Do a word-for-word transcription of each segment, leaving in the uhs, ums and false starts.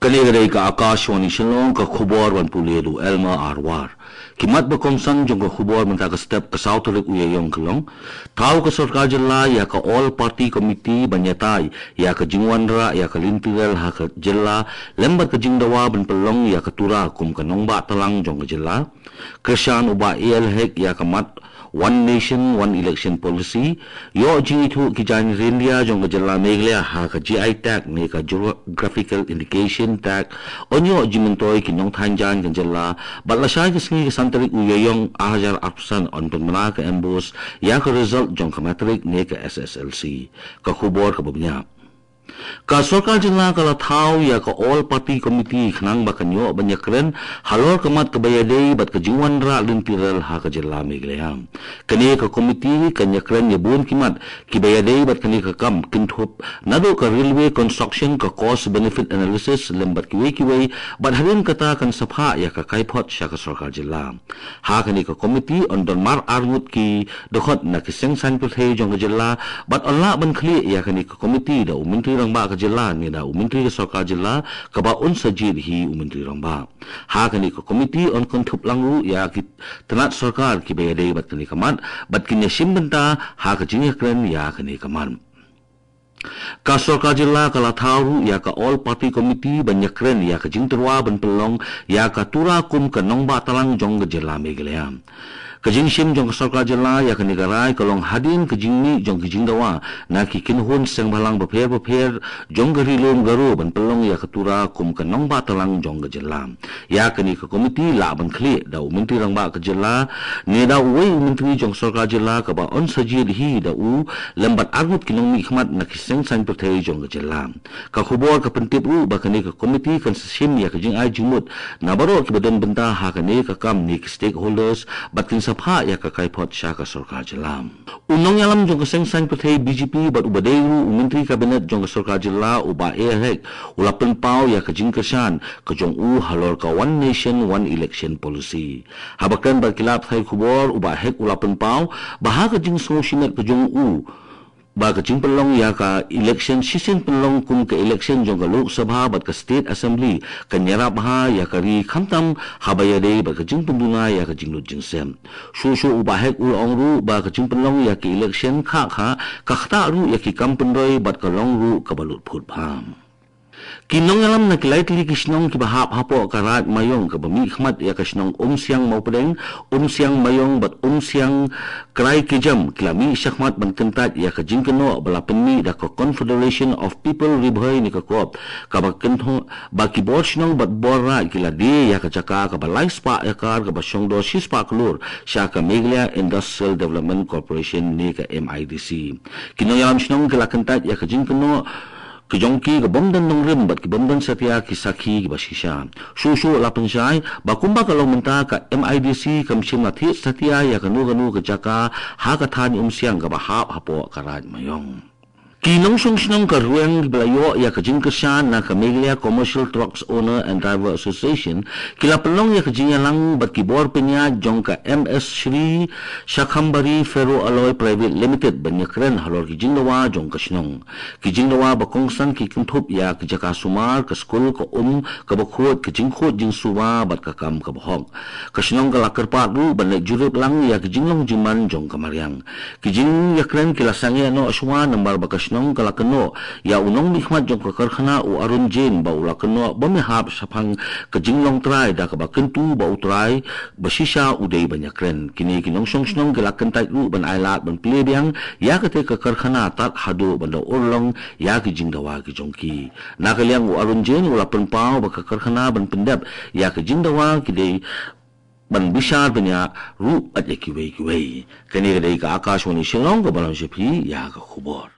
Kane ka dei ka Akashvani Shillong, ka khubor ban pule da u Elmer Arwar. Ki mat ba kongsan jong ka khubor mynta ka step ka saw tarik u Ïaïong ka long: Thaw ka sorkar jylla ïa ka All Party Committee ban ïatai ïa ka jingwanrah ïa ka lynti rel ha ka jylla lem bad ka jingdawa ban pynlong ïa ka Tura kum ka nongbah tlang jong ka jylla. Kyrshan u Bah A L Hek ïa ka mat One Nation, One Election Policy. Ïoh jingithuh ki jaiñ ryndia jong ka jylla Meghalaya ha ka G I tag ne ka Geographical Indication tag. Yn ïoh jingmyntoi ki nongthaiñ jaiñ ka jylla. Bad lashai ka sngi ka san tarik u Ïaïong ar hajar arphew san yn pynbna ka MBOSE ïa ka result jong ka matric ne ka S S L C. Ka khubor kaba bniah. Ka sorkar jylla ka la thaw ïa ka All Party Committee khnang ba kan ïoh ban ïakren halor ka mat kaba ïadei bad ka jingwanrah lynti rel ha ka jylla Meghalaya. Kane ka committee kan ïakren ïa bun ki mat kiba ïadei bad kane ka kam, kynthup naduh ka railway construction, ka cost benefit analysis lem bad kiwei kiwei, bad hadien kata kan sa phah ïa ka kaiphod sha ka sorkar jylla. Ha kane ka committee yn don mar arngut ki dkhot na ki seng saiñ pyrthei jong ka jylla, bad yn lah ban khlieh ïa kane ka committee da u Myntri Rangbah ka jylla ne da u Myntri ka sorkar jylla kaba un sa jied hi u Myntri Rangbah. Ha kane ka committee yn kynthup lang ruh ïa ki tnat sorkar kiba ïadei bad kane ka mat, bad kin ïashim bynta ha ka jingïakren ïa kane ka mat. Ka sorkar jylla ka la thaw ruh ïa ka All Party Committee ban ïakren ïa ka jingtyrwa ban pynlong ïa ka Tura kum ka nongbah tlang jong ka jylla Meghalaya. Ka jingshim jong ka sorkar jylla ïa kane ka rai ka long hadien ka jingmih jong ka jingdawa na ki kynhun seng bhalang bapher bapher jong ka Ri Lum Garo ban pynlong ïa ka Tura kum ka nongbah tlang jong ka jylla. Ïa kane ka committee lah ban khlieh da u Myntri Rangbah ka jylla ne da uwei u myntri jong sorkar jylla kaba yn sa jied hi da u lem bad arngut ki nongmihkhmat na ki seng saiñ pyrthei jong ka jylla. Ka khubor ka pyntip ruh ba kane ka committee kan sa shim ïa ka jingai jingmut na baroh kiba don bynta ha kane ka kam ne ki stakeholders, bad kin sa phah ïa ka kaiphod sha ka sorkar jylla. U nongïalam jong ka seng saiñ pyrthei B J P bad uba dei ruh u Myntri Kabinet jong ka sorkar jylla u Bah A L Hek u la pynpaw ïa ka jingkyrshan ka jong u halor ka One Nation, One Election Policy. Haba kren bad ki lad pathai khubor, u Bah Hek u la pynpaw ba ha ka jingsngew shimet ka jong u ba ka jingpynlong ïa ka election shisien pynlong kum ka election jong ka Lok Sabha bad ka State Assembly kan ïarap bha ïa ka ri, khamtam haba ïadei bad ka jingpynduna ïa ka jinglut jingsep. Shuh shuh u Bah Hek u la ong ruh ba ka jingpynlong ïa ka election khah khah ka ktah ruh ïa ki kam pynroi bad ka long ruh kaba lut phut bha. Ki nongïalam na ki lai tylli ki shnong kiba hap hapoh ka Raid Maïong kaba mihkhmat ïa ka shnong Umsiang Mawpdeng, Umsiang Maïong bad Umsiang Kraikejam ki la mih shakhmat ban kyntait ïa ka jingkynnoh ba la pynmih da ka Confederation of People Ri Bhoi ne ka CoP, kaba kynthoh ba ki bor shnong bad bor raid ki la die ïa ka jaka kaba lai spah akar kaba shongdor shi spah klur sha ka Meghalaya Industrial Development Corporation ne ka M I D C. Ki nongïalam shnong ki la kyntait ïa ka jingkynnoh ka jong ki ka bym don nongrim bad ki bym don satia ki sakhi kiba shisha. Shuh shuh la pynshai ba kumba ka long mynta ka M I D C kam shym la thied satia ïa kano kano ka jaka ha ka thaiñ Umsiang kaba hap hapoh ka Raid Maïong. Ki nongshong shnong ka Rwiang kiba la ïoh ïa ka jingkyrshan na ka Meghalaya Commercial Trucks Owner and Driver Association ki la pynlong ïa ka jingïalang bad ki bor pynïaid jong ka M S Shri Shakhambari Ferro Alloy Private Limited ban ïakren halor ki jingdawa jong ka shnong. Ki jingdawa ba kongsan ki kynthup ïa ki jaka sumar, ka skul, ka um kaba khuid, ka jingkhuid jingsuba bad ka kam kaba hok. Ka shnong ka la kyrpad ruh ban leit jurip lang ïa ki jinglong jingman jong ka mariang. Ki jingïakren ki la sangeh noh shuwa namar ba ka shnong ka la kynnoh ïa u nongmihkhmat jong ka karkhana u Arun Jain ba u la kynnoh bym hap shaphang ka jinglong trai da kaba kyntu ba u trai ba shisha u dei ban ïakren. Kine ki nongshong shnong ki la kyntait ruh ban ailad ban plie biang ïa kata ka karkhana tad haduh ban da urlong ïa ki jingdawa ki jong ki. Na ka liang u Arun Jain u la pynpaw ba ka karkhana ban pyndep ïa ki jingdawa ki dei ban bishar bniah ruh ïa kiwei kiwei. Kane ka dei ka Akashvani Shillong kaba lam sha phi ïa ka khubor.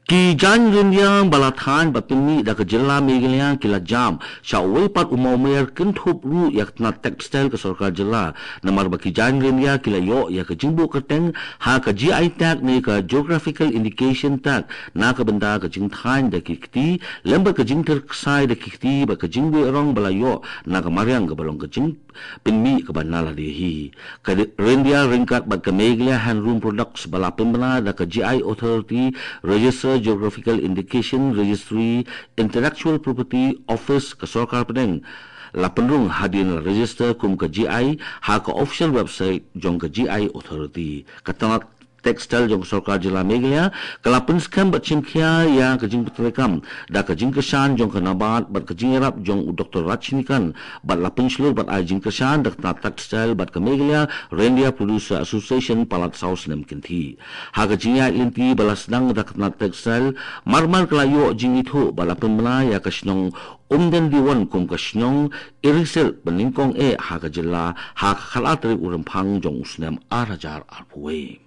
Ki jaiñ ryndia ba la thaiñ bad pynmih da ka jylla Meghalaya ki la jam sha uwei pat u mawmer kynthup ruh ïa ka tnat textile ka sorkar jylla, namar ba ki jaiñ ryndia ki la ïoh ïa ka jingbuh kyrteng ha ka G I tag ne ka Geographical Indication tag na ka bynta ka jingthaiñ da ki kti lem bad ka jingtyrksai da ki kti bad ka jingwieh rong ba la ïoh na ka mariang kaba long ka jing pynmih kaba na lade hi. Ka Ryndia Ryngkat bad ka Meghalaya Handloom Products ba la pynbna da ka G I Authority, Register Geographical Indication Registry, Intellectual Property Office ka Sorkar Pdeng, la pynrung hadien la register kum ka G I ha ka official website jong ka G I Authority. Ka tnat textile jong ka Sorkar Jylla Meghalaya ka la pynskhem bad shimkhia ïa ka jingpyntreikam da ka jingkyrshan jong ka NABARD bad ka jingïarap jong u Doctor Rajnikant, bad la pynshlur bad ai jingkyrshan da ka tnat textile bad ka Meghalaya Ryndia Producer Association palat saw snem kynthih. Ha ka jingïaid lynti ba la sdang da ka tnat textile, mar mar ka la ïoh jingithuh bad la pynbna ïa ka shnong Umden Diwon kum ka shnong iri silk ba nyngkong eh ha ka jylla ha ka khatar tarik u Rymphang jong u snem ar hajar arphew wei.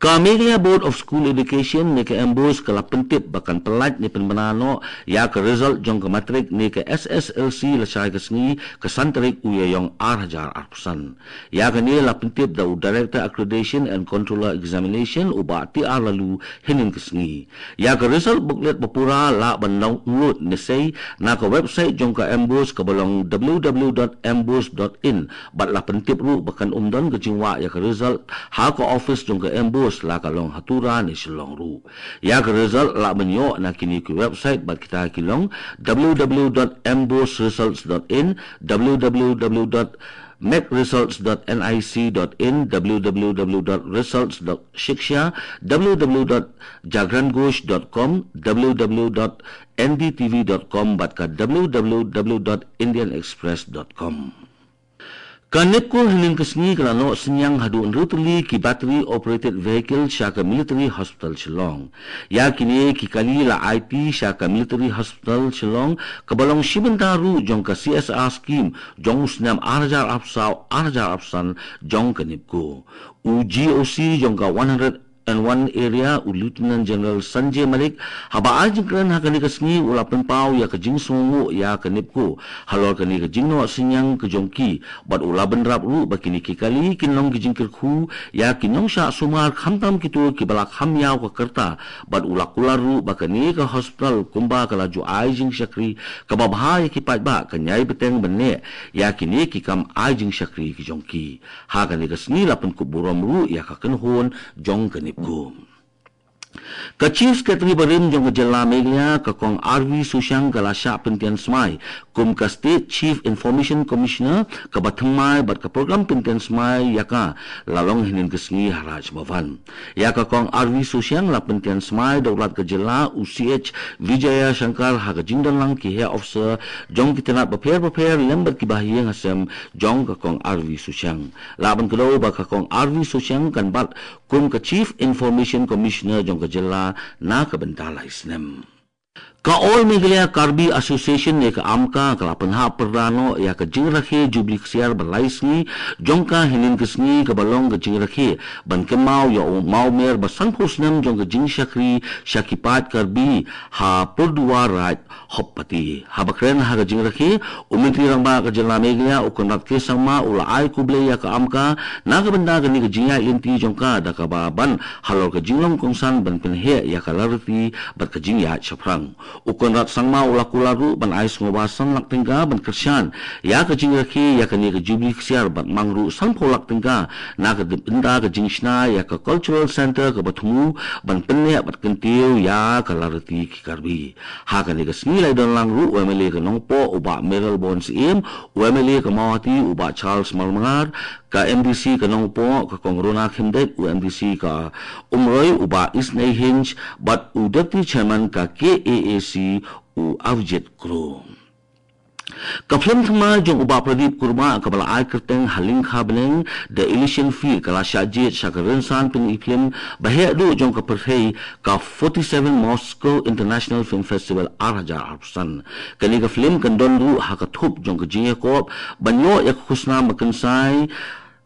Ka Meghalaya Board of School Education ne ka MBOSE ka la pyntip ba kan pyllait ne pynbna noh ïa ka result jong ka matrik ne ka SSLC lashai ka sngi ka san tarik u Ïaïong ar hajar arphew san. Ïa kane la pyntip da u Director Accreditation and Controller Examination u Bah T R Laloo hynnin ka sngi. Ïa ka result booklet ba pura lah ban download ne sei na ka website jong ka MBOSE kaba long w w w dot mbose dot in, bad la pyntip ruh ba kan ym don ka jingwah ïa ka result ha ka office jong ka MBOSE, la ka long ha Tura ne Shillong ruh. Ïa ka result lah ban ïoh na kine ki website bad kita ki long w w w dot mbose results dot in, w w w dot mec results dot nic dot in, w w w dot results dot shiksha, w w w dot jagran ghosh dot com, w w w dot n d t v dot com bad ka w w w dot indian express dot com. Ka NEEPCO hynnin ka sngi ka la noh synñiang haduh hynriew tylli ki battery operated vehicle sha ka Military Hospital Shillong. Ïa kine ki kali la aiti sha ka Military Hospital Shillong kaba long shi bynta ruh jong ka C S R scheme jong u snem ar hajar arphew saw ar hajar arphew san jong ka NEEPCO. U G O C jong ka one hundred and one area u Lieutenant General Sanjay Malik, haba ai jingkren ha kane ka sngi, u la pynpaw ïa ka jingsngewnguh ïa ka NEEPCO halor kane ka jingnoh synñiang ka jong ki, bad u la bynrap ruh ba kine ki kali kin long ki jingkyrkhu ïa ki nongshah sumar, khamtam kito kiba la kham ïaw ka rta, bad u la kular ruh ba kane ka hospital kumba ka la ju ai jingshakri kaba bha ïa ki paidbah kan ïai bteng ban neh ïa kine ki kam ai jingshakri ki jong ki. Ha kane ka sngi la pynkup burom ruh ïa ka kynhun jong ka NEEPCO. Ka Chief Secretary barim jong ka jylla Meghalaya, ka Kong R V Sushang, ka la shah pyntian smai kum ka State Chief Information Commissioner kaba thymmai, bad ka program pyntian smai ïa ka la long hynnin ka sngi ha Raj Bhavan. Ïa ka Kong R V Sushang la pyntian smai da u Lat ka jylla u C H Vijayashankar ha ka jingdon lang ki heh officer jong ki tnat bapher bapher lem bad ki bahaïing hasem jong ka Kong R V Sushang. Lah ban kdew ba ka Kong R V Sushang kan bat kum ka Chief Information Commissioner jong ka jylla na ka bynta lai snem. Ka All Meghalaya Karbi Association ne ka AMKA ka la pynhap pyrda noh ïa ka jingrakhe Jubili Ksiar ba lai sngi jong ka hynnin ka sngi, kaba long ka jingrakhe ban kynmaw ïa u mawmer ba sanphew snem jong ka jingshakri sha ki paid Karbi ha Pyrduwar Raid, Hopepati. Haba kren ha ka jingrakhe, u Myntri Rangbah ka jylla Meghalaya u Conrad K Sangma u la ai khublei ïa ka AMKA na ka bynta kane ka jingïaid lynti jong ka da kaba ban halor ka jinglong kongsan ban pynheh ïa ka lariti bad ka jingïaid shaphrang. U Conrad Sangma u la kular ruh ban ai sngewbha san lak tyngka ban kyrshan ïa ka jingrakhe ïa kane ka Jubili Ksiar bad mang ruh sanphew lak tyngka na ka bynta ka jingshna ïa ka Cultural Centre kaba thmu ban pynneh bad kyntiew ïa ka lariti ki Karbi. Ha kane ka sngi la ïadon lang ruh u MLA ka Nongpoh u Bah Mayralborn Syiem, u MLA ka Mawhati u Bah Charles Marmangar, ka MDC ka Nongpoh ka Kong Rona Khymdeit, u MDC ka Umroi u Bah Isnei Hinge, bad u Deputy Chairman ka KAAC u Avjit Kro. Ka phlim thymmai jong u Bah Pradip Kurbah kaba la ai kyrteng Ha Lyngkha Bneng, The Elysian Field, ka la shah jied sha ka rynsan pyni phlim ba heh duh jong ka pyrthei, ka forty-seven Moscow International Film Festival ar hajar arphew san. Kane ka phlim kan don ruh ha ka thup jong ka jingïakob ban ïoh ïa ka khusnam ba kynsai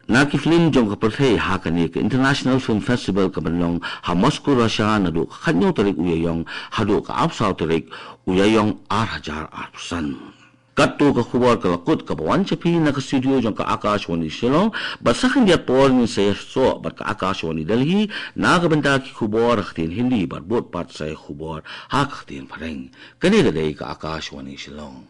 na ki phlim jong ka pyrthei ha kane ka International Film Festival kaban long ha Moscow, Russia, naduh ka khathynñiew tarik u Ïaïong haduh ka arphew saw tarik u Ïaïong ar hajar arphew san. Katto ka khubor ka la kut kaba wan sha phi na ka studio jong ka Akashvani Shillong, bad sa khyndiat por ngin sa ïasoh bad ka Akashvani Delhi na ka bynta ki khubor ha ka ktien Hindi bad bud pat sa ïa khubor ha ka ktien Phareng. Kane ka dei ka Akashvani Shillong.